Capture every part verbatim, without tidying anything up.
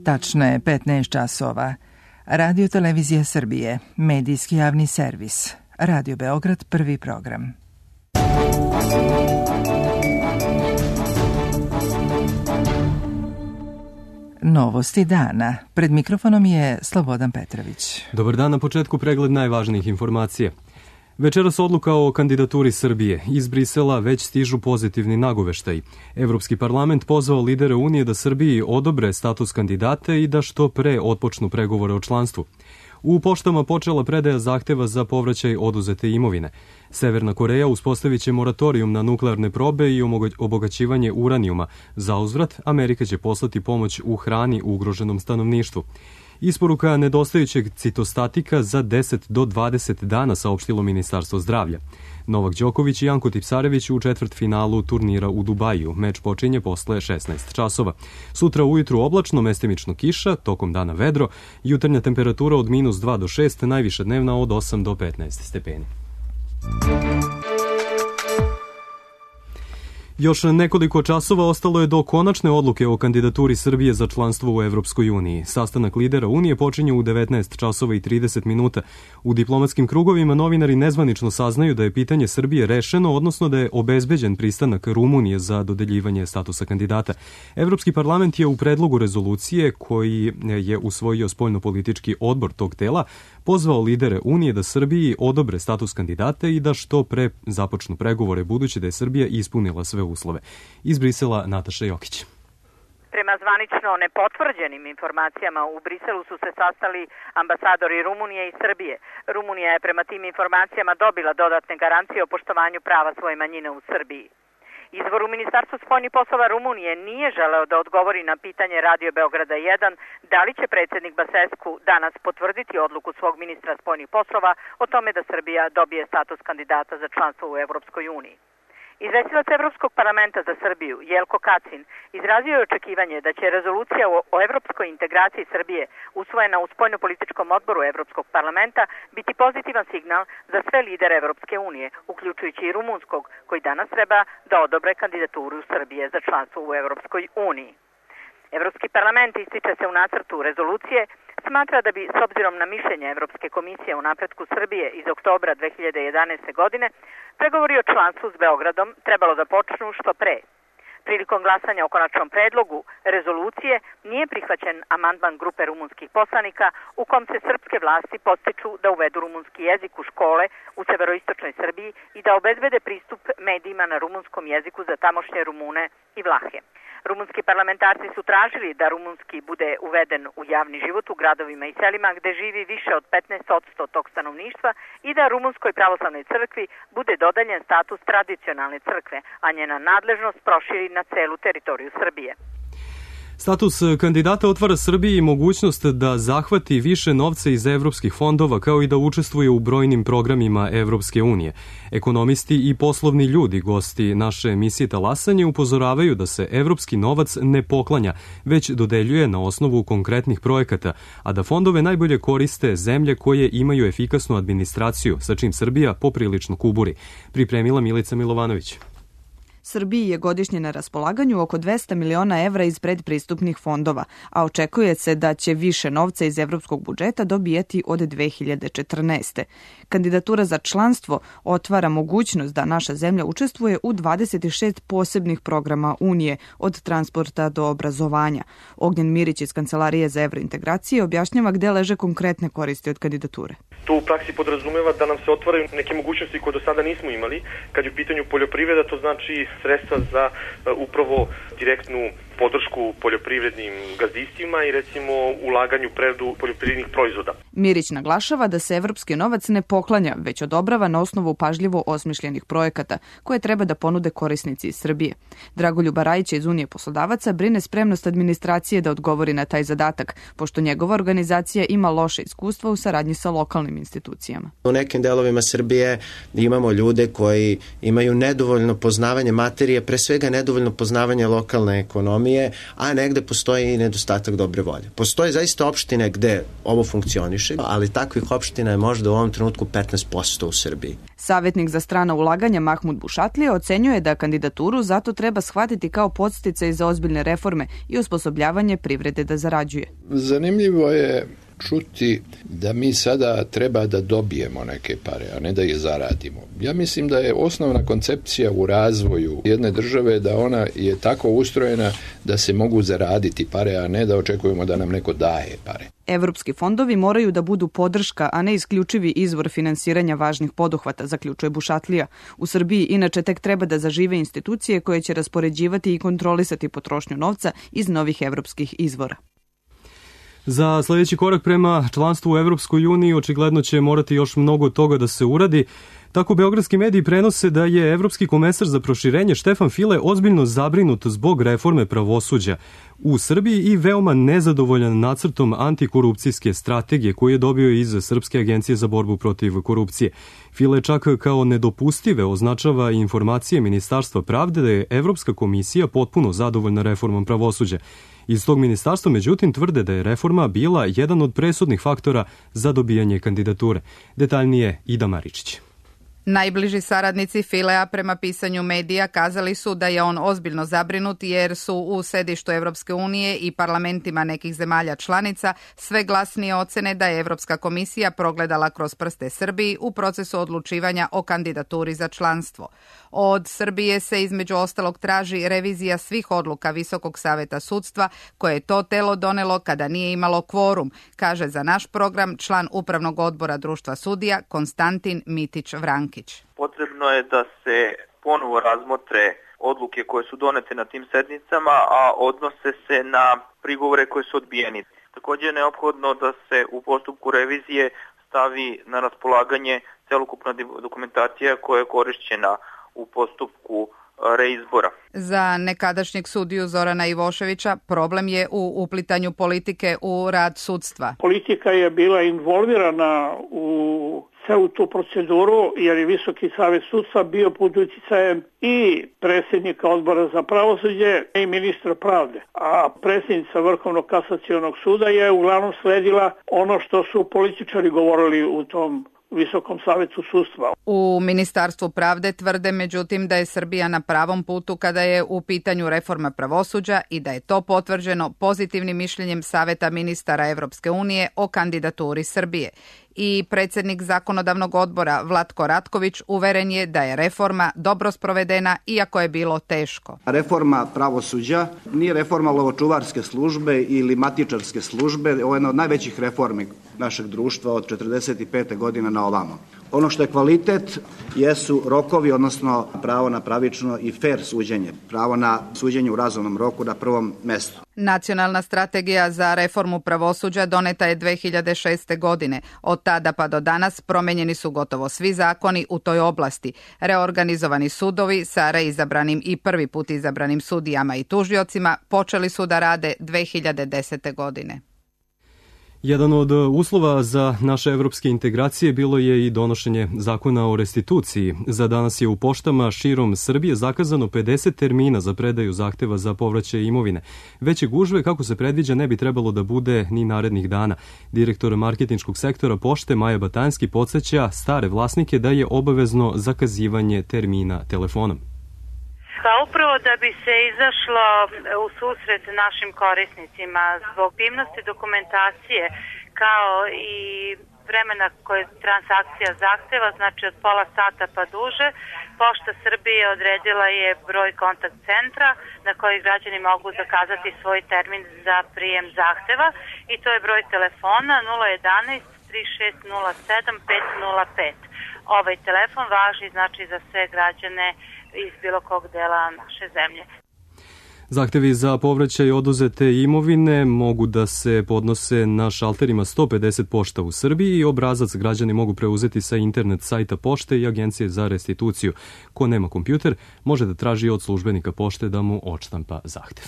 Tačno je petnaest časova. Radio Televizija Srbije, medijski javni servis. Radio Beograd, prvi program. Novosti dana. Pred mikrofonom je Slobodan Petrović. Dobar dan, na početku pregled najvažnijih informacija. Večeras odluka o kandidaturi Srbije. Iz Brisela već stižu pozitivni nagoveštaji. Evropski parlament pozvao lidere Unije da Srbiji odobre status kandidata i da što pre otpočnu pregovore o članstvu. U poštama počela predaja zahteva za povraćaj oduzete imovine. Severna Koreja uspostavit će moratorijum na nuklearne probe i obogaćivanje uranijuma. Za uzvrat, Amerika će poslati pomoć u hrani ugroženom stanovništvu. Isporuka nedostajućeg citostatika za deset do dvadeset dana, saopštilo Ministarstvo zdravlja. Novak Đoković i Janko Tipsarević u četvrtfinalu turnira u Dubaju. Meč počinje posle šesnaest časova. Sutra ujutru oblačno, mestimično kiša, tokom dana vedro, jutarnja temperatura od minus dva do šest, najviša dnevna od osam do petnaest stepeni. Još nekoliko časova ostalo je do konačne odluke o kandidaturi Srbije za članstvo u Evropskoj uniji. Sastanak lidera Unije počinje u devetnaest časova i trideset minuta. U diplomatskim krugovima novinari nezvanično saznaju da je pitanje Srbije rešeno, odnosno da je obezbeđen pristanak Rumunije za dodeljivanje statusa kandidata. Evropski parlament je u predlogu rezolucije, koji je usvojio spoljnopolitički odbor tog tela, pozvao lidere Unije da Srbiji odobre status kandidata i da što pre započnu pregovore, budući da je Srbija ispunila sve uslove. Iz Brisela Nataša Jokić. Prema zvanično nepotvrđenim informacijama, u Briselu su se sastali ambasadori Rumunije i Srbije. Rumunija je prema tim informacijama dobila dodatne garancije o poštovanju prava svoje manjine u Srbiji. Izvor u Ministarstvu spoljnih poslova Rumunije nije želeo da odgovori na pitanje Radio Beograda jedan da li će predsjednik Basescu danas potvrditi odluku svog ministra spoljnih poslova o tome da Srbija dobije status kandidata za članstvo u Evropskoj uniji. Izvestilac Evropskog parlamenta za Srbiju, Jelko Kacin, izrazio je očekivanje da će rezolucija o evropskoj integraciji Srbije usvojena u spoljnopolitičkom odboru Evropskog parlamenta biti pozitivan signal za sve lidere Evropske unije, uključujući i rumunskog, koji danas treba da odobre kandidaturu Srbije za članstvo u Evropskoj uniji. Evropski parlament, ističe se u nacrtu rezolucije, smatra da bi, s obzirom na mišljenje Evropske komisije o napretku Srbije iz oktobra dve hiljade jedanaeste. godine, pregovori o članstvu s Beogradom trebalo da počnu što pre. Prilikom glasanja o konačnom predlogu rezolucije nije prihvaćen amandman grupe rumunskih poslanika u kom se srpske vlasti podstiču da uvedu rumunski jezik u škole u severoistočnoj Srbiji i da obezbede pristup medijima na rumunskom jeziku za tamošnje Rumune i Vlahe. Rumunski parlamentarci su tražili da rumunski bude uveden u javni život u gradovima i selima gde živi više od petnaest posto tog stanovništva i da rumunskoj pravoslavnoj crkvi bude dodeljen status tradicionalne crkve, a njena nadležnost proširi na celu teritoriju Srbije. Status kandidata otvara Srbiji mogućnost da zahvati više novca iz evropskih fondova, kao i da učestvuje u brojnim programima Evropske unije. Ekonomisti i poslovni ljudi, gosti naše emisije Talasanje, upozoravaju da se evropski novac ne poklanja, već dodeljuje na osnovu konkretnih projekata, a da fondove najbolje koriste zemlje koje imaju efikasnu administraciju, sa čim Srbija poprilično kuburi. Pripremila Milica Milovanović. Srbiji je godišnje na raspolaganju oko dvesta miliona evra iz predpristupnih fondova, a očekuje se da će više novca iz evropskog budžeta dobijeti od dve hiljade četrnaeste. Kandidatura za članstvo otvara mogućnost da naša zemlja učestvuje u dvadeset šest posebnih programa Unije, od transporta do obrazovanja. Ognjen Mirić iz Kancelarije za evrointegracije objašnjava gde leže konkretne koristi od kandidature. To u praksi podrazumeva da nam se otvaraju neke mogućnosti koje do sada nismo imali. Kad je u pitanju poljoprivreda, to znači sredstva za uh, upravo direktnu podršku poljoprivrednim gazdinstvima i recimo ulaganju predu poljoprivrednih proizvoda. Mirić naglašava da se evropski novac ne poklanja, već odobrava na osnovu pažljivo osmišljenih projekata koje treba da ponude korisnici iz Srbije. Dragoljub Rajić iz Unije poslodavaca brine spremnost administracije da odgovori na taj zadatak, pošto njegova organizacija ima loše iskustva u saradnji sa lokalnim institucijama. U nekim delovima Srbije imamo ljude koji imaju nedovoljno poznavanje materije, pre svega nedovoljno poznavanje lokalne ekonomije ekonomije, a negde postoji i nedostatak dobre volje. Postoje zaista opštine gde ovo funkcioniše, ali takvih opština je možda u ovom trenutku petnaest posto u Srbiji. Savjetnik za strana ulaganja Mahmud Bušatlija ocenjuje da kandidaturu zato treba shvatiti kao podsticaj za ozbiljne reforme i osposobljavanje privrede da zarađuje. Zanimljivo je čuti da mi sada treba da dobijemo neke pare, a ne da ih zaradimo. Ja mislim da je osnovna koncepcija u razvoju jedne države da ona je tako ustrojena da se mogu zaraditi pare, a ne da očekujemo da nam neko daje pare. Evropski fondovi moraju da budu podrška, a ne isključivi izvor finansiranja važnih poduhvata, zaključuje Bušatlija. U Srbiji inače tek treba da zažive institucije koje će raspoređivati i kontrolisati potrošnju novca iz novih evropskih izvora. Za sljedeći korak prema članstvu u Evropskoj uniji očigledno će morati još mnogo toga da se uradi. Tako beogradski mediji prenose da je evropski komesar za proširenje Štefan File ozbiljno zabrinut zbog reforme pravosuđa u Srbiji i veoma nezadovoljan nacrtom antikorupcijske strategije koju je dobio iz Srpske agencije za borbu protiv korupcije. File čak kao nedopustive označava informacije Ministarstva pravde da je Evropska komisija potpuno zadovoljna reformom pravosuđa. Iz tog ministarstva, međutim, tvrde da je reforma bila jedan od presudnih faktora za dobijanje kandidature. Detaljnije Ida Maričić. Najbliži saradnici Filea prema pisanju medija kazali su da je on ozbiljno zabrinut jer su u sedištu Evropske unije i parlamentima nekih zemalja članica sve glasnije ocene da je Evropska komisija progledala kroz prste Srbiji u procesu odlučivanja o kandidaturi za članstvo. Od Srbije se između ostalog traži revizija svih odluka Visokog saveta sudstva koje je to telo donelo kada nije imalo kvorum, kaže za naš program član Upravnog odbora Društva sudija Konstantin Mitić-Vrankić. Potrebno je da se ponovo razmotre odluke koje su donete na tim sednicama, a odnose se na prigovore koje su odbijeni. Također je neophodno da se u postupku revizije stavi na raspolaganje celokupna dokumentacija koja je korišćena u postupku reizbora. Za nekadašnjeg sudiju Zorana Ivoševića problem je u uplitanju politike u rad sudstva. Politika je bila involvirana u celu tu proceduru jer je Visoki savet sudstva bio pod uticajem i predsjednika odbora za pravosuđe i ministra pravde. A predsjednica Vrhovnog kasacionog suda je uglavnom sledila ono što su političari govorili u tom Visokom savetu sudstva. U Ministarstvu pravde tvrde međutim da je Srbija na pravom putu kada je u pitanju reforma pravosuđa i da je to potvrđeno pozitivnim mišljenjem Saveta ministara Evropske unije o kandidaturi Srbije. I predsjednik zakonodavnog odbora Vlatko Ratković uveren je da je reforma dobro sprovedena iako je bilo teško. Reforma pravosuđa nije reforma lovočuvarske službe ili matičarske službe, ovo je jedna od najvećih reformi našeg društva od četrdeset pete godine na ovamo. Ono što je kvalitet jesu rokovi, odnosno pravo na pravično i fer suđenje, pravo na suđenje u razumnom roku na prvom mestu. Nacionalna strategija za reformu pravosuđa doneta je dve hiljade šeste. godine. Od tada pa do danas promenjeni su gotovo svi zakoni u toj oblasti. Reorganizovani sudovi sa reizabranim i prvi put izabranim sudijama i tužiocima počeli su da rade dve hiljade desete. godine. Jedan od uslova za naše evropske integracije bilo je i donošenje zakona o restituciji. Za danas je u poštama širom Srbije zakazano pedeset termina za predaju zahteva za povraćaj imovine. Veće gužve, kako se predviđa, ne bi trebalo da bude ni narednih dana. Direktor marketinškog sektora pošte Maja Batanski podsjeća stare vlasnike da je obavezno zakazivanje termina telefonom. Pa upravo da bi se izašlo u susret našim korisnicima zbog obimnosti dokumentacije kao i vremena koje transakcija zahteva, znači od pola sata pa duže, Pošta Srbije odredila je broj kontakt centra na koji građani mogu zakazati svoj termin za prijem zahteva i to je broj telefona nula jedanaest tri šest nula sedam pet nula pet. Ovaj telefon važi znači za sve građane iz bilo kog dela naše zemlje. Zahtevi za povraćaj oduzete imovine mogu da se podnose na šalterima sto pedeset pošta u Srbiji i obrazac građani mogu preuzeti sa internet sajta pošte i agencije za restituciju. Ko nema kompjuter može da traži od službenika pošte da mu odštampa zahtev.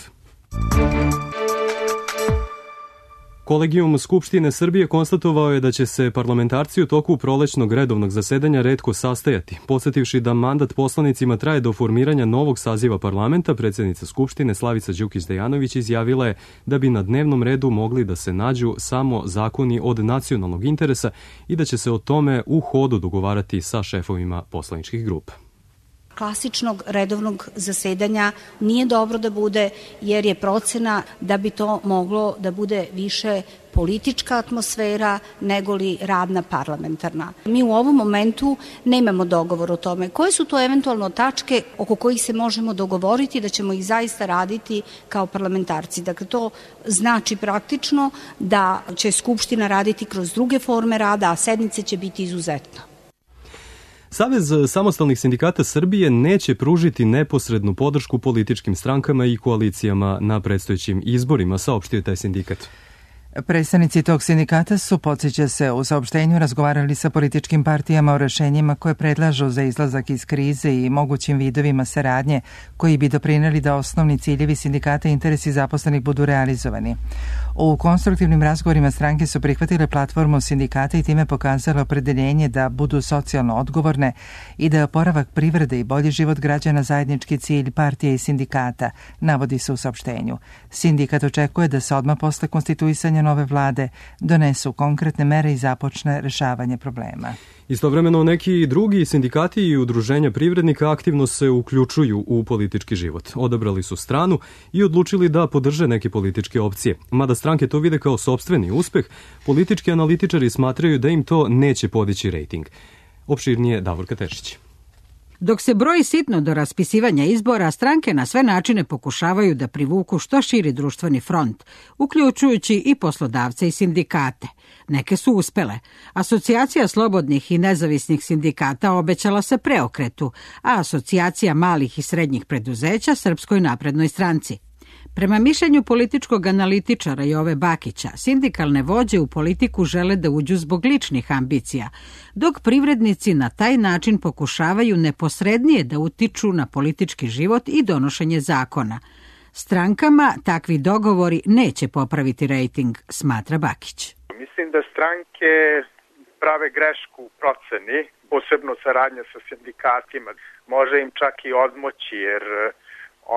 Kolegijum Skupštine Srbije konstatovao je da će se parlamentarci u toku prolećnog redovnog zasedanja retko sastajati. Podsetivši da mandat poslanicima traje do formiranja novog saziva parlamenta, predsjednica Skupštine Slavica Đukić-Dejanović izjavila je da bi na dnevnom redu mogli da se nađu samo zakoni od nacionalnog interesa i da će se o tome u hodu dogovarati sa šefovima poslaničkih grupa. Klasičnog redovnog zasedanja nije dobro da bude, jer je procena da bi to moglo da bude više politička atmosfera nego li radna parlamentarna. Mi u ovom momentu nemamo dogovor o tome koje su to eventualno tačke oko kojih se možemo dogovoriti da ćemo ih zaista raditi kao parlamentarci. Dakle, to znači praktično da će Skupština raditi kroz druge forme rada, a sednice će biti izuzetno. Savez samostalnih sindikata Srbije neće pružiti neposrednu podršku političkim strankama i koalicijama na predstojećim izborima, saopštio taj sindikat. Predstavnici tog sindikata su, podsjeća se, u saopštenju razgovarali sa političkim partijama o rešenjima koje predlažu za izlazak iz krize i mogućim vidovima saradnje koji bi doprineli da osnovni ciljevi sindikata i interesi zaposlenih budu realizovani. U konstruktivnim razgovorima stranke su prihvatile platformu sindikata i time pokazale opredeljenje da budu socijalno odgovorne i da je oporavak privrede i bolji život građana zajednički cilj partije i sindikata, navodi se u saopštenju. Sindikat očekuje da se odmah posle konstituisanja nove vlade donesu konkretne mere i započne rešavanje problema. Istovremeno neki drugi sindikati i udruženja privrednika aktivno se uključuju u politički život. Odabrali su stranu i odlučili da podrže neke političke opcije. Mada stranke to vide kao sopstveni uspeh, politički analitičari smatraju da im to neće podići rejting. Opširnije Davorka Tešić. Dok se broji sitno do raspisivanja izbora, stranke na sve načine pokušavaju da privuku što širi društveni front, uključujući i poslodavce i sindikate. Neke su uspele. Asocijacija slobodnih i nezavisnih sindikata obećala se preokretu, a Asocijacija malih i srednjih preduzeća Srpskoj naprednoj stranci. Prema mišljenju političkog analitičara Jove Bakića, sindikalne vođe u politiku žele da uđu zbog ličnih ambicija, dok privrednici na taj način pokušavaju neposrednije da utiču na politički život i donošenje zakona. Strankama takvi dogovori neće popraviti rejting, smatra Bakić. Mislim da stranke prave grešku u proceni, posebno saradnja sa sindikatima. Može im čak i odmoći, jer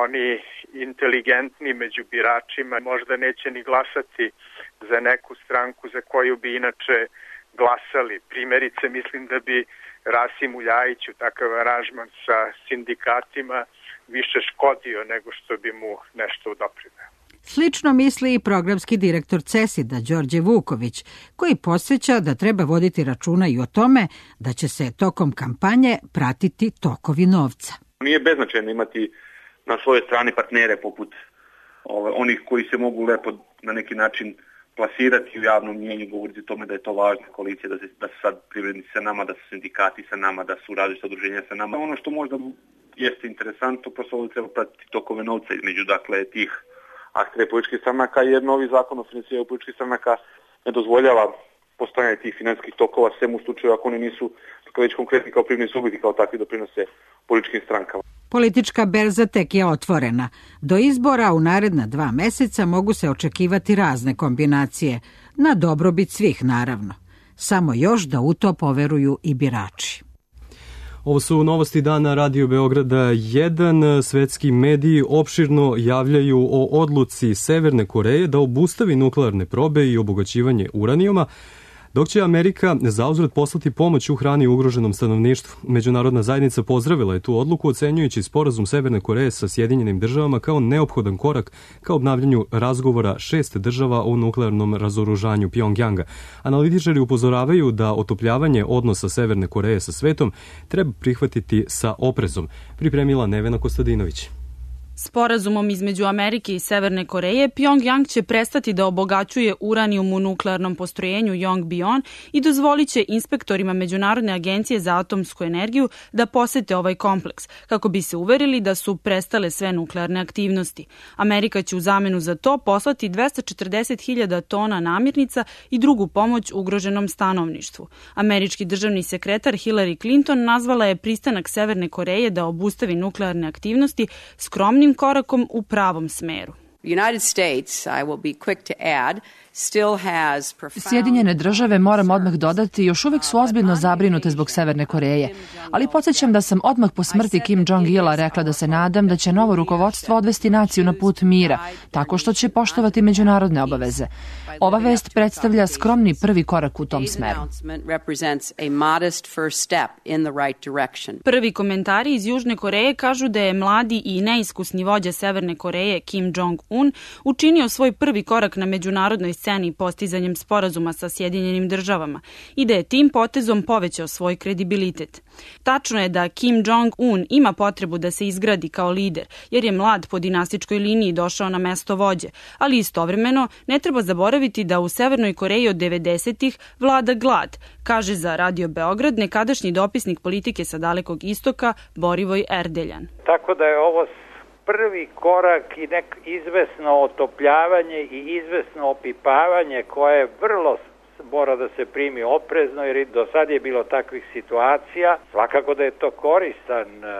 oni inteligentni među biračima možda neće ni glasati za neku stranku za koju bi inače glasali. Primjerice, mislim da bi Rasimu Ljajiću takav aranžman sa sindikatima više škodio nego što bi mu nešto doprineo. Slično misli i programski direktor CESID-a Đorđe Vuković, koji podsjeća da treba voditi računa i o tome da će se tokom kampanje pratiti tokovi novca. Nije beznačajno imati na svojoj strani partnere poput ove, onih koji se mogu lepo na neki način plasirati u javnom mnjenju, govoriti o tome da je to važna koalicija, da, se, da su sad privrednici sa nama, da su sindikati sa nama, da su različita udruženja sa nama. Ono što možda jeste interesantno, prosto ovdje treba pratiti tokove novca između dakle tih aktera političkih stranaka, jer novi zakon o finansiranju političkih stranaka ne dozvoljava postojanje tih finansijskih tokova, sem u slučaju ako oni nisu već konkretni kao privredni subjekti, kao takvi doprinose političkim strankama. Politička berza tek je otvorena. Do izbora u naredna dva meseca mogu se očekivati razne kombinacije, na dobrobit svih naravno. Samo još da u to poveruju i birači. Ovo su novosti dana Radio Beograda jedan. Svetski mediji opširno javljaju o odluci Severne Koreje da obustavi nuklearne probe i obogaćivanje uranijuma, dok će Amerika zauzvrat poslati pomoć u hrani ugroženom stanovništvu. Međunarodna zajednica pozdravila je tu odluku, ocenjujući sporazum Severne Koreje sa Sjedinjenim državama kao neophodan korak ka obnavljanju razgovora šest država o nuklearnom razoružanju Pjongjanga. Analitičari upozoravaju da otopljavanje odnosa Severne Koreje sa svetom treba prihvatiti sa oprezom. Pripremila Nevena Kostadinović. Sporazumom između Amerike i Severne Koreje, Pjongjang će prestati da obogaćuje uranijum u nuklearnom postrojenju Yongbyon i dozvolit će inspektorima Međunarodne agencije za atomsku energiju da posete ovaj kompleks, kako bi se uverili da su prestale sve nuklearne aktivnosti. Amerika će u zamenu za to poslati dvesta četrdeset hiljada tona namirnica i drugu pomoć ugroženom stanovništvu. Američki državni sekretar Hillary Clinton nazvala je pristanak Severne Koreje da obustavi nuklearne aktivnosti skromnim korakom u pravom smeru. The United States, I will be quick to add, Sjedinjene države, moram odmah dodati, još uvijek su ozbiljno zabrinute zbog Severne Koreje, ali podsjećam da sam odmah po smrti Kim Jong-ila rekla da se nadam da će novo rukovodstvo odvesti naciju na put mira, tako što će poštovati međunarodne obaveze. Ova vest predstavlja skromni prvi korak u tom smeru. Prvi komentari iz Južne Koreje kažu da je mladi i neiskusni vođa Severne Koreje Kim Jong-un učinio svoj prvi korak na međunarodnoj sceni postizanjem sporazuma sa Sjedinjenim državama i da je tim potezom povećao svoj kredibilitet. Tačno je da Kim Jong-un ima potrebu da se izgradi kao lider, jer je mlad po dinastičkoj liniji došao na mesto vođe, ali istovremeno ne treba zaboraviti da u Severnoj Koreji od devedesetih vlada glad, kaže za Radio Beograd nekadašnji dopisnik politike sa Dalekog istoka Borivoj Erdeljan. Tako da je ovo prvi korak i nek izvesno otopljavanje i izvesno opipavanje koje vrlo mora da se primi oprezno, jer do sad je bilo takvih situacija. Svakako da je to koristan uh,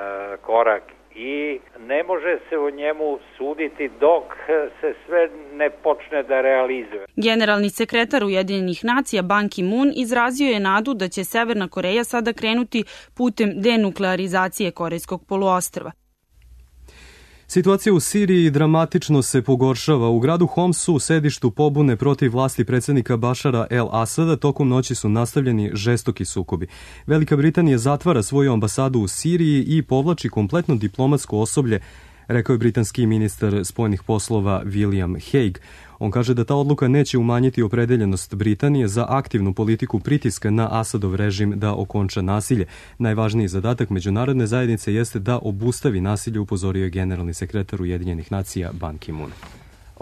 korak i ne može se o njemu suditi dok se sve ne počne da realizuje. Generalni sekretar Ujedinjenih nacija Ban Ki-moon izrazio je nadu da će Severna Koreja sada krenuti putem denuklearizacije Korejskog poluostrva. Situacija u Siriji dramatično se pogoršava. U gradu Homsu, u sedištu pobune protiv vlasti predsjednika Bašara el-Asada, tokom noći su nastavljeni žestoki sukobi. Velika Britanija zatvara svoju ambasadu u Siriji i povlači kompletno diplomatsko osoblje, rekao je britanski ministar spoljnih poslova William Hague. On kaže da ta odluka neće umanjiti opredeljenost Britanije za aktivnu politiku pritiska na Asadov režim da okonča nasilje. Najvažniji zadatak međunarodne zajednice jeste da obustavi nasilje, upozorio je generalni sekretar Ujedinjenih nacija Ban Ki-moon.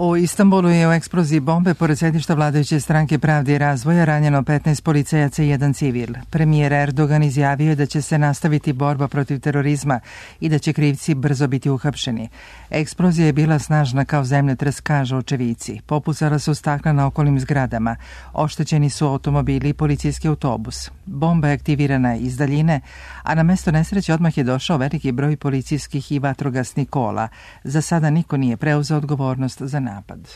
U Istanbulu je u eksploziji bombe pored sedišta vladajuće stranke Pravde i razvoja ranjeno petnaest policajaca i jedan civil. Premijer Erdogan izjavio je da će se nastaviti borba protiv terorizma i da će krivci brzo biti uhapšeni. Eksplozija je bila snažna kao zemljotres, kažu očevici. Popucala su stakla na okolnim zgradama. Oštećeni su automobili i policijski autobus. Bomba je aktivirana iz daljine, a na mesto nesreće odmah je došao veliki broj policijskih i vatrogasnih kola. Za sada niko nije preuzeo odgovornost za napad.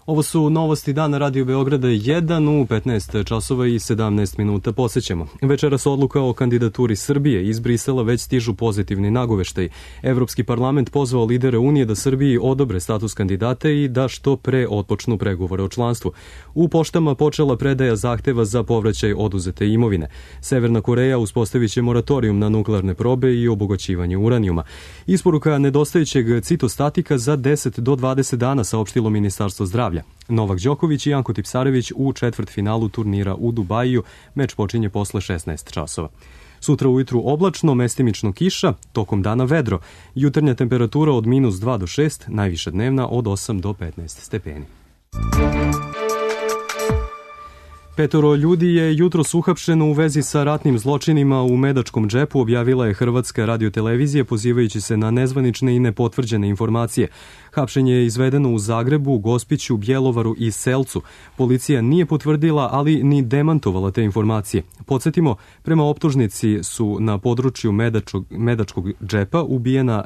Ovo su novosti dana Radio Beograda jedan u petnaest časova i sedamnaest minuta. Posećemo. Večeras odluka o kandidaturi Srbije. Iz Brisela već stižu pozitivni nagoveštaj. Evropski parlament pozvao lidere Unije da Srbiji odobre status kandidata i da što pre otpočnu pregovore o članstvu. U poštama počela predaja zahteva za povraćaj oduzete imovine. Severna Koreja uspostavit će moratorijum na nuklearne probe i obogaćivanje uranijuma. Isporuka nedostajućeg citostatika za deset do dvadeset dana, saopštilo Ministarstvo zdravlja. Novak Đoković i Janko Tipsarević u četvrtfinalu turnira u Dubaju. Meč počinje posle šesnaest časova. Sutra ujutru oblačno, mestimično kiša, tokom dana vedro. Jutarnja temperatura od minus dva do šest, najviša dnevna od osam do petnaest stepeni. Petoro ljudi je jutros uhapšeno u vezi sa ratnim zločinima u Medačkom džepu, objavila je Hrvatska radiotelevizija pozivajući se na nezvanične i nepotvrđene informacije. Hapšenje je izvedeno u Zagrebu, Gospiću, Bjelovaru i Selcu. Policija nije potvrdila, ali ni demantovala te informacije. Podsjetimo, prema optužnici su na području Medačkog, Medačkog džepa ubijena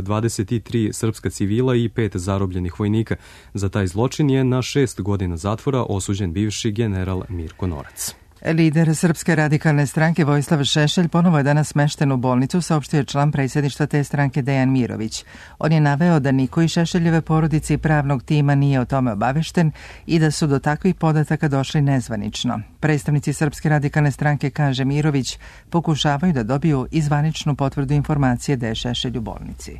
dvadeset tri srpska civila i pet zarobljenih vojnika. Za taj zločin je na šest godina zatvora osuđen bivši general Mirko Norac. Lider Srpske radikalne stranke Vojislav Šešelj ponovo je danas smešten u bolnicu, saopštio je član predsjedništva te stranke Dejan Mirović. On je naveo da niko iz Šešeljeve porodice i pravnog tima nije o tome obavešten i da su do takvih podataka došli nezvanično. Predstavnici Srpske radikalne stranke, kaže Mirović, pokušavaju da dobiju izvaničnu potvrdu informacije da je Šešelj u bolnici.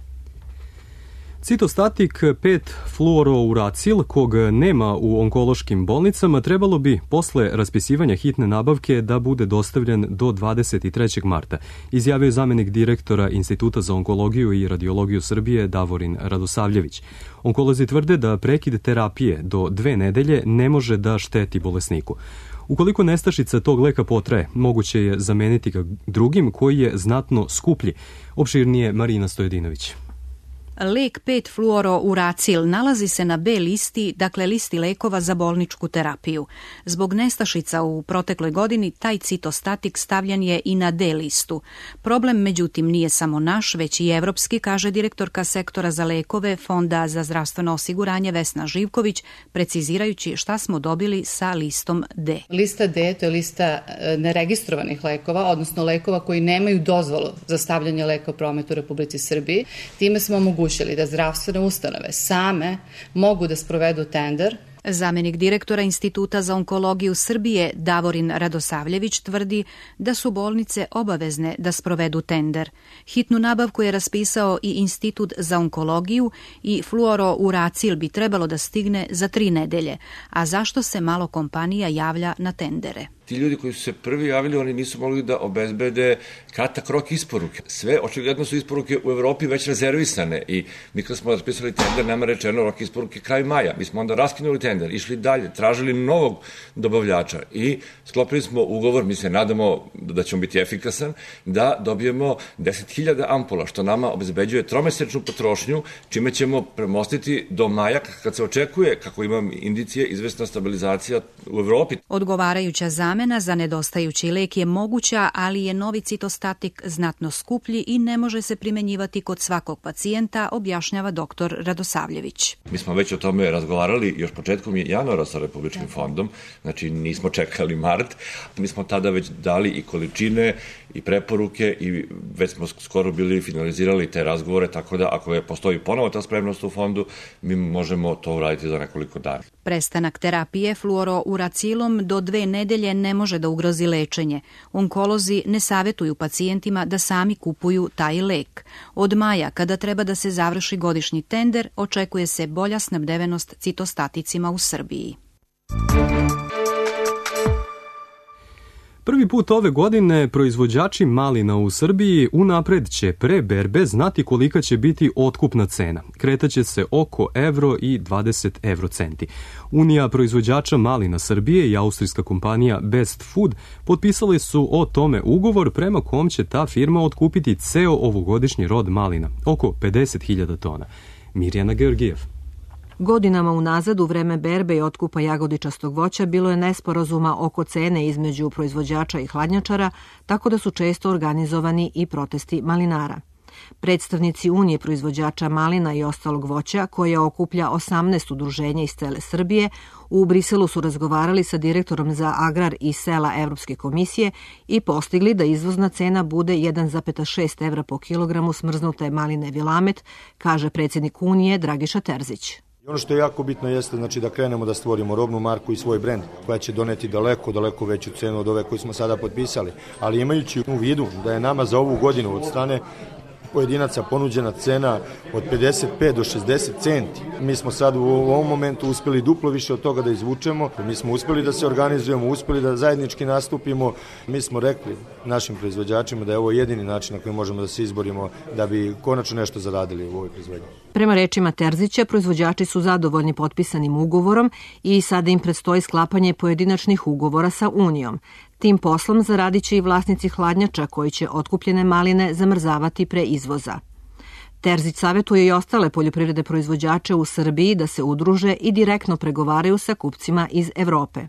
Citostatik pet fluorouracil, kog nema u onkološkim bolnicama, trebalo bi posle raspisivanja hitne nabavke da bude dostavljen do dvadeset trećeg marta, izjavio je zamenik direktora Instituta za onkologiju i radiologiju Srbije Davorin Radosavljević. Onkolozi tvrde da prekid terapije do dve nedelje ne može da šteti bolesniku. Ukoliko nestašica tog leka potraje, moguće je zameniti ga drugim koji je znatno skuplji. Opširnije Marina Stojedinović. Lek pet fluorouracil nalazi se na B listi, dakle listi lekova za bolničku terapiju. Zbog nestašica u protekloj godini taj citostatik stavljen je i na D listu. Problem međutim nije samo naš, već i evropski, kaže direktorka sektora za lekove Fonda za zdravstveno osiguranje Vesna Živković, precizirajući šta smo dobili sa listom D. Lista D to je lista neregistrovanih lekova, odnosno lekova koji nemaju dozvolu za stavljanje leka u promet u Republici Srbiji. Time smo omogućili da zdravstvene ustanove same mogu da sprovedu tender. Zamenik direktora Instituta za onkologiju Srbije Davorin Radosavljević tvrdi da su bolnice obavezne da sprovedu tender. Hitnu nabavku je raspisao i Institut za onkologiju i fluorouracil bi trebalo da stigne za tri nedelje. A zašto se malo kompanija javlja na tendere? Ti ljudi koji su se prvi javili, oni nisu mogli da obezbede kratak rok isporuke. Sve, očigledno su isporuke u Evropi već rezervisane i mi kad smo raspisali tender, nama rečeno rok isporuke kraj maja. Mi smo onda raskinuli tender, išli dalje, tražili novog dobavljača i sklopili smo ugovor, mi se nadamo da ćemo biti efikasan, da dobijemo deset hiljada ampula, što nama obezbeđuje tromesečnu potrošnju, čime ćemo premostiti do maja kad se očekuje, kako imam indicije, izvesna stabilizacija u Evropi. Odgovarajuća zamena za nedostajući lek je moguća, ali je novi citostatik znatno skuplji i ne može se primenjivati kod svakog pacijenta, objašnjava doktor Radosavljević. Mi smo već o tome razgovarali još početkom januara sa Republičkim fondom, znači nismo čekali mart, mi smo tada već dali i količine i preporuke i već smo skoro bili finalizirali te razgovore, tako da ako je postoji ponovo ta spremnost u fondu, mi možemo to uraditi za nekoliko dana. Prestanak terapije fluorouracilom do dve nedelje ne može da ugrozi lečenje. Onkolozi ne savjetuju pacijentima da sami kupuju taj lek. Od maja, kada treba da se završi godišnji tender, očekuje se bolja snabdevenost citostaticima u Srbiji. Prvi put ove godine proizvođači malina u Srbiji unapred će pre berbe znati kolika će biti otkupna cena. Kretaće se oko evro i dvadeset evrocenti. Unija proizvođača malina Srbije i austrijska kompanija Best Food potpisali su o tome ugovor prema kom će ta firma otkupiti ceo ovogodišnji rod malina, oko pedeset hiljada tona. Mirjana Georgijev. Godinama unazad u vreme berbe i otkupa jagodičastog voća bilo je nesporazuma oko cene između proizvođača i hladnjačara, tako da su često organizovani i protesti malinara. Predstavnici Unije proizvođača malina i ostalog voća, koja okuplja osamnaest udruženja iz cele Srbije, u Briselu su razgovarali sa direktorom za agrar i sela Evropske komisije i postigli da izvozna cena bude jedan zarez šest evra po kilogramu smrznute maline Vilamet, kaže predsjednik Unije Dragiša Terzić. Ono što je jako bitno jeste znači, da krenemo da stvorimo robnu marku i svoj brend koja će doneti daleko, daleko veću cenu od ove koju smo sada potpisali. Ali imajući u vidu da je nama za ovu godinu od strane pojedinaca ponuđena cena od pedeset pet do šezdeset centi. Mi smo sad u ovom momentu uspjeli duplo više od toga da izvučemo. Mi smo uspjeli da se organizujemo, uspjeli da zajednički nastupimo. Mi smo rekli našim proizvođačima da je ovo jedini način na koji možemo da se izborimo da bi konačno nešto zaradili u ovoj proizvodnji. Prema rečima Terzića, proizvođači su zadovoljni potpisanim ugovorom i sada im predstoji sklapanje pojedinačnih ugovora sa Unijom. Tim poslom zaradit će i vlasnici hladnjača koji će otkupljene maline zamrzavati pre izvoza. Terzić savjetuje i ostale poljoprivredne proizvođače u Srbiji da se udruže i direktno pregovaraju sa kupcima iz Evrope.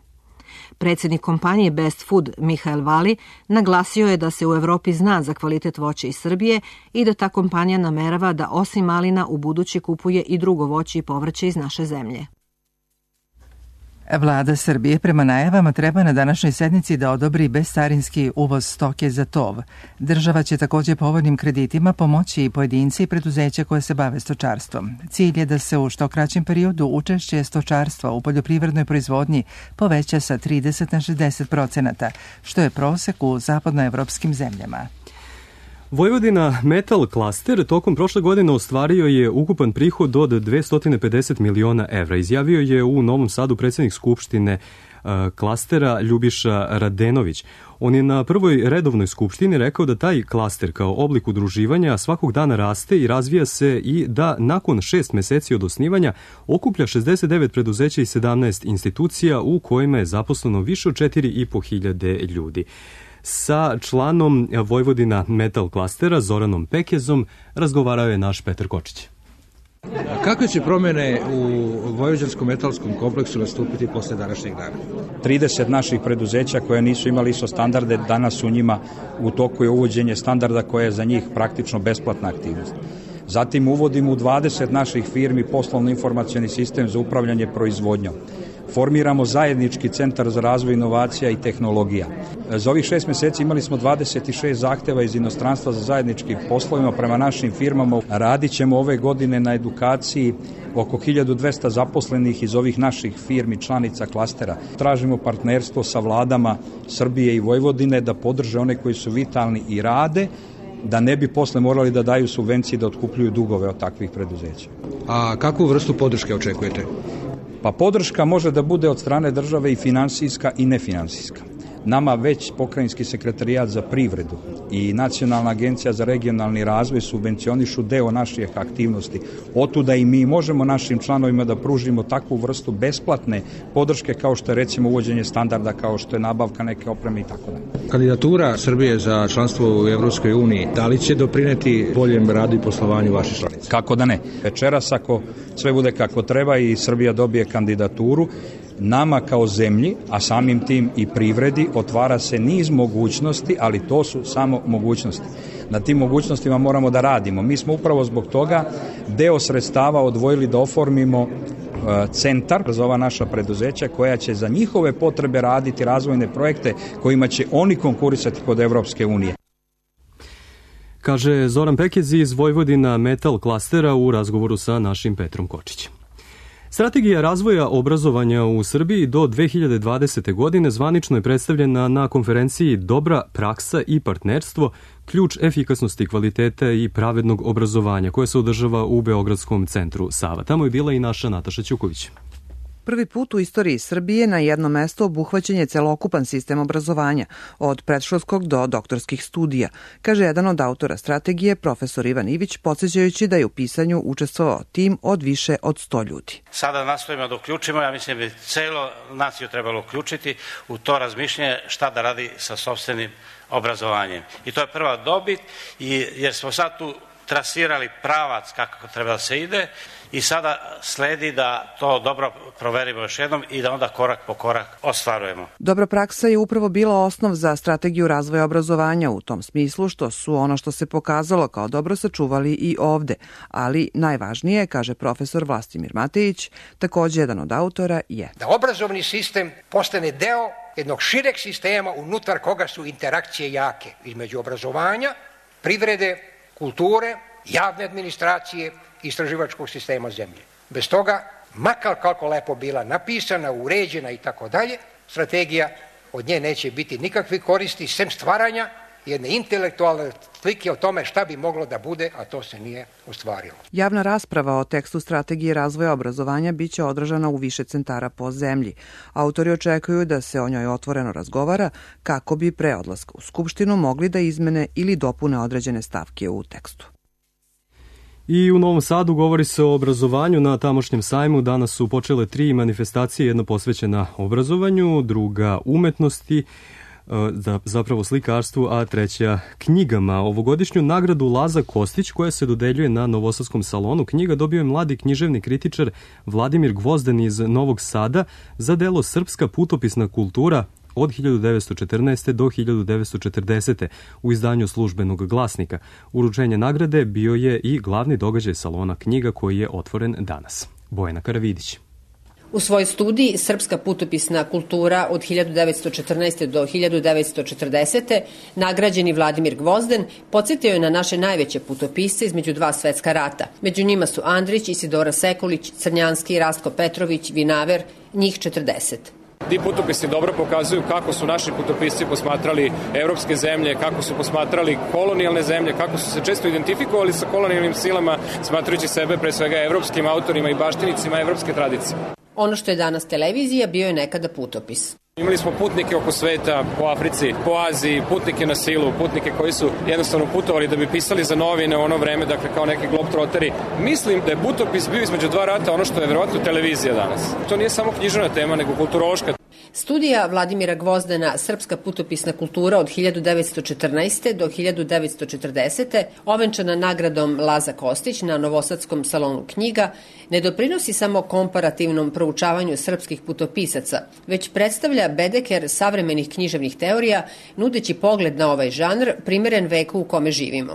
Predsjednik kompanije Best Food Mihael Vali naglasio je da se u Evropi zna za kvalitet voća iz Srbije i da ta kompanija namerava da osim malina u budući kupuje i drugo voće i povrće iz naše zemlje. Vlada Srbije prema najavama treba na današnjoj sednici da odobri bezcarinski uvoz stoke za tov. Država će također povoljnim kreditima pomoći i pojedinci i preduzeća koje se bave stočarstvom. Cilj je da se u što kraćem periodu učešće stočarstva u poljoprivrednoj proizvodnji poveća sa trideset na šezdeset procenata, što je prosek u zapadnoevropskim zemljama. Vojvodina Metal Klaster tokom prošle godine ostvario je ukupan prihod od dvesta pedeset miliona evra. Izjavio je u Novom Sadu predsjednik Skupštine uh, klastera Ljubiša Radenović. On je na prvoj redovnoj skupštini rekao da taj klaster kao oblik udruživanja svakog dana raste i razvija se i da nakon šest meseci od osnivanja okuplja šezdeset devet preduzeća i sedamnaest institucija u kojima je zaposleno više od četiri i po hiljade ljudi. Sa članom Vojvodina Metal Klastera Zoranom Pekezom razgovarao je naš Petar Kočić. Kakve će promjene u Vojvođanskom metalskom kompleksu nastupiti posle današnjeg dana? trideset naših preduzeća koje nisu imali I S O standarde, danas u njima u toku je uvođenje standarda koje je za njih praktično besplatna aktivnost. Zatim uvodimo u dvadeset naših firmi poslovno-informacioni sistem za upravljanje proizvodnjom. Formiramo zajednički centar za razvoj inovacija i tehnologija. Za ovih šest meseci imali smo dvadeset šest zahteva iz inostranstva za zajedničkim poslovima prema našim firmama. Radit ćemo ove godine na edukaciji oko hiljadu dvesta zaposlenih iz ovih naših firmi članica klastera. Tražimo partnerstvo sa vladama Srbije i Vojvodine da podrže one koji su vitalni i rade, da ne bi posle morali da daju subvencije da otkupljuju dugove od takvih preduzeća. A kakvu vrstu podrške očekujete? Pa podrška može da bude od strane države i finansijska i nefinansijska. Nama već Pokrajinski sekretarijat za privredu i Nacionalna agencija za regionalni razvoj subvencionišu deo naših aktivnosti. Otuda i mi možemo našim članovima da pružimo takvu vrstu besplatne podrške kao što je recimo uvođenje standarda, kao što je nabavka neke opreme i tako dalje. Kandidatura Srbije za članstvo u Evropskoj uniji, da li će doprineti boljem radu i poslovanju vaših članica? Kako da ne. Večeras ako sve bude kako treba i Srbija dobije kandidaturu, nama kao zemlji, a samim tim i privredi, otvara se niz mogućnosti, ali to su samo mogućnosti. Na tim mogućnostima moramo da radimo. Mi smo upravo zbog toga deo sredstava odvojili da oformimo centar za ova naša preduzeća koja će za njihove potrebe raditi razvojne projekte kojima će oni konkurisati kod Evropske unije. Kaže Zoran Pekez iz Vojvodina Metal klastera u razgovoru sa našim Petrom Kočićem. Strategija razvoja obrazovanja u Srbiji do dve hiljade dvadesete. godine zvanično je predstavljena na konferenciji Dobra praksa i partnerstvo, ključ efikasnosti, kvaliteta i pravednog obrazovanja, koja se održava u Beogradskom centru Sava. Tamo je bila i naša Nataša Ćuković. Prvi put u istoriji Srbije na jedno mesto obuhvaćen je celokupan sistem obrazovanja, od predškolskog do doktorskih studija, kaže jedan od autora strategije, profesor Ivan Ivić, podsjećajući da je u pisanju učestvovao tim od više od sto ljudi. Sada nastojimo da uključimo, ja mislim da bi celo naciju trebalo uključiti u to razmišljanje šta da radi sa sopstvenim obrazovanjem. I to je prva dobit, jer smo sad tu trasirali pravac kako treba da se ide i sada sledi da to dobro proverimo još jednom i da onda korak po korak ostvarujemo. Dobra praksa je upravo bila osnov za strategiju razvoja obrazovanja u tom smislu što su ono što se pokazalo kao dobro sačuvali i ovde, ali najvažnije, kaže profesor Vlastimir Matejić, takođe jedan od autora, je da obrazovni sistem postane deo jednog šireg sistema unutar koga su interakcije jake između obrazovanja, privrede, kulture, javne administracije i istraživačkog sistema zemlje. Bez toga, makar kako lepo bila napisana, uređena i tako dalje, strategija od nje neće biti nikakve koristi, sem stvaranja jedne intelektualne slike o tome šta bi moglo da bude, a to se nije ostvarilo. Javna rasprava o tekstu strategije razvoja obrazovanja biće održana u više centara po zemlji. Autori očekuju da se o njoj otvoreno razgovara kako bi pre odlaska u Skupštinu mogli da izmene ili dopune određene stavke u tekstu. I u Novom Sadu govori se o obrazovanju na tamošnjem sajmu. Danas su počele tri manifestacije, jedna posvećena obrazovanju, druga umetnosti, zapravo slikarstvu, a treća knjigama. Ovogodišnju nagradu Laza Kostić, koja se dodeljuje na Novosadskom salonu knjiga, dobio je mladi književni kritičar Vladimir Gvozden iz Novog Sada za delo Srpska putopisna kultura od hiljadu devetsto četrnaeste. do hiljadu devetsto četrdesete. u izdanju Službenog glasnika. Uručenje nagrade bio je i glavni događaj salona knjiga koji je otvoren danas. Bojana Karavidić. U svojoj studiji Srpska putopisna kultura od hiljadu devetsto četrnaeste. do hiljadu devetsto četrdesete. nagrađeni Vladimir Gvozden podsjetio je na naše najveće putopisce između dva svetska rata. Među njima su Andrić, Isidora Sekulić, Crnjanski, Rastko Petrović, Vinaver, njih četrdeset. Ti putopisi dobro pokazuju kako su naši putopisci posmatrali evropske zemlje, kako su posmatrali kolonijalne zemlje, kako su se često identifikovali sa kolonijalnim silama, smatrajući sebe pre svega evropskim autorima i baštinicima evropske tradicije. Ono što je danas televizija bio je nekada putopis. Imali smo putnike oko sveta, po Africi, po Aziji, putnike na silu, putnike koji su jednostavno putovali da bi pisali za novine u ono vreme, dakle kao neki globtroteri. Mislim da je putopis bio između dva rata ono što je verovatno televizija danas. To nije samo književna tema, nego kulturološka. Studija Vladimira Gvozdena Srpska putopisna kultura od hiljadu devetsto četrnaeste. do hiljadu devetsto četrdesete. ovenčana nagradom Laza Kostić na Novosadskom salonu knjiga, ne doprinosi samo komparativnom proučavanju srpskih putopisaca, već predstavlja bedeker savremenih književnih teorija, nudeći pogled na ovaj žanr primeren veku u kome živimo.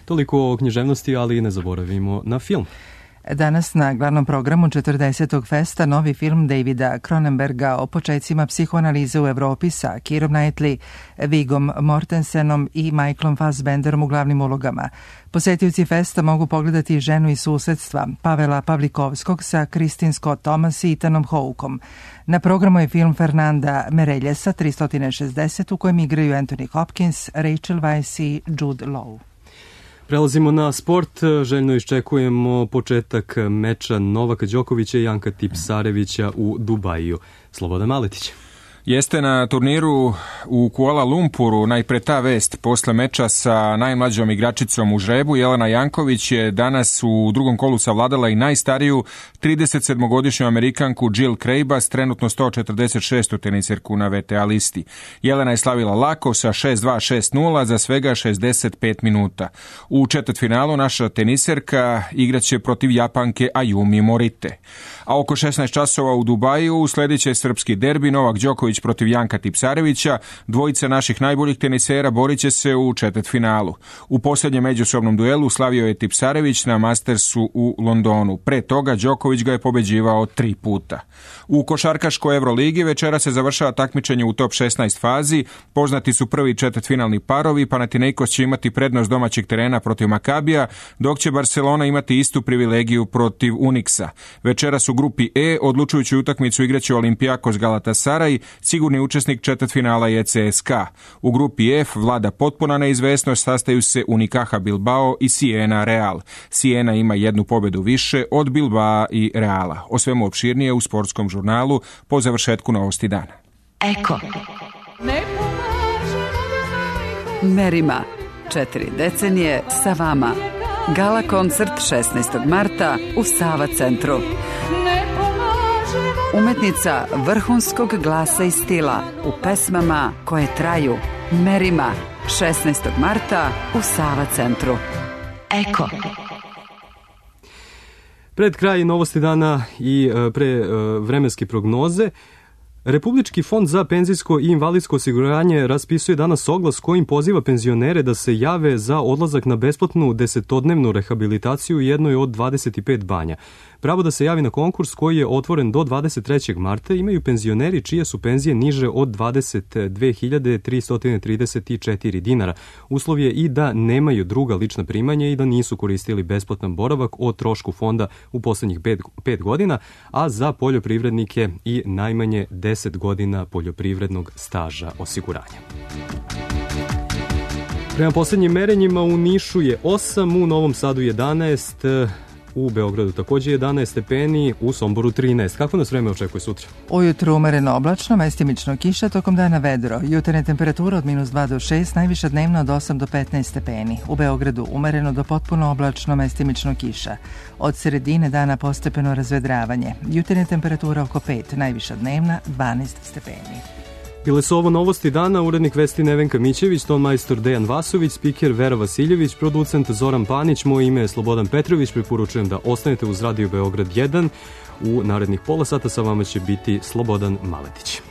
Toliko o književnosti, ali ne zaboravimo na film. Danas na glavnom programu četrdesetog festa novi film Davida Cronenberga o početcima psihoanalize u Evropi sa Keirom Knightley, Vigom Mortensenom i Michaelom Fassbenderom u glavnim ulogama. Posetioci festa mogu pogledati Ženu iz susedstva Pavela Pavlikovskog sa Kristin Scott Thomas i Ethanom Hawkeom. Na programu je film Fernanda Mereljesa tristo šezdeset u kojem igraju Anthony Hopkins, Rachel Weisz i Jude Law. Prelazimo na sport, željno iščekujemo početak meča Novaka Đokovića i Janka Tipsarevića u Dubaju. Slobodan Maletić. Jeste na turniru u Kuala Lumpuru najpre ta vest posle meča sa najmlađom igračicom u žrebu. Jelena Janković je danas u drugom kolu savladala i najstariju tridesetsedmogodišnju Amerikanku Jill Craibas, trenutno sto četrdeset šestu teniserku na V T A listi. Jelena je slavila lako sa šest dva šest nula za svega šezdeset pet minuta. U četvrtfinalu naša teniserka igraće protiv Japanke Ayumi Morite. A oko šesnaest časova u Dubaju usledit će srpski derbi Novak Đoković protiv Janka Tipsarevića. Dvojica naših najboljih tenisera borit će se u četvrtfinalu. U posljednjem međusobnom duelu slavio je Tipsarević na Mastersu u Londonu. Pre toga Đoković ga je pobeđivao tri puta. U košarkaškoj Evroligi večera se završava takmičenje u top šesnaest fazi. Poznati su prvi četvrtfinalni parovi. Panathinaikos će imati prednost domaćeg terena protiv Makabija, dok će Barcelona imati istu privilegiju protiv Unixa. Večera su grupi E, odlučujuću utakmicu igraće Olympiakos Galatasaray, sigurni učesnik četvrtfinala je C S K A. U grupi F vlada potpuna neizvesnost, sastaju se Unicaja Bilbao i Siena Real. Siena ima jednu pobedu više od Bilbao i Reala. O svemu opširnije u sportskom žurnalu po završetku novosti dana. Eko. Merima. Četiri decenije sa vama. Gala koncert šesnaestog marta u Sava centru. Umetnica vrhunskog glasa i stila u pesmama koje traju. Merima. šesnaestog marta u Sava centru. Eko. Pred kraj novosti dana i pre vremenske prognoze, Republički fond za penzijsko i invalidsko osiguranje raspisuje danas oglas kojim poziva penzionere da se jave za odlazak na besplatnu desetodnevnu rehabilitaciju u jednoj od dvadeset pet banja. Pravo da se javi na konkurs koji je otvoren do dvadeset trećeg marta imaju penzioneri čije su penzije niže od dvadeset dve hiljade tristo trideset četiri dinara. Uslov je i da nemaju druga lična primanja i da nisu koristili besplatan boravak o trošku fonda u poslednjih pet godina, a za poljoprivrednike i najmanje deset godina poljoprivrednog staža osiguranja. Prema poslednjim merenjima u Nišu je osam, u Novom Sadu jedanaest, u Beogradu takođe jedanaest stepeni, u Somboru trinaest. Kako nas vreme očekuje sutra? Ujutru umereno oblačno, mestimično kiša, tokom dana vedro. Jutarnja temperatura od minus dva do šest, najviša dnevna od osam do petnaest stepeni. U Beogradu umereno do potpuno oblačno, mestimično kiša. Od sredine dana postepeno razvedravanje. Jutarnja temperatura oko pet, najviša dnevna dvanaest stepeni. Bile su ovo novosti dana, urednik vesti Nevenka Mićević, ton majstor Dejan Vasović, spiker Vera Vasiljević, producent Zoran Panić, moje ime je Slobodan Petrović, preporučujem da ostanete uz Radio Beograd jedan. U narednih pola sata sa vama će biti Slobodan Maletić.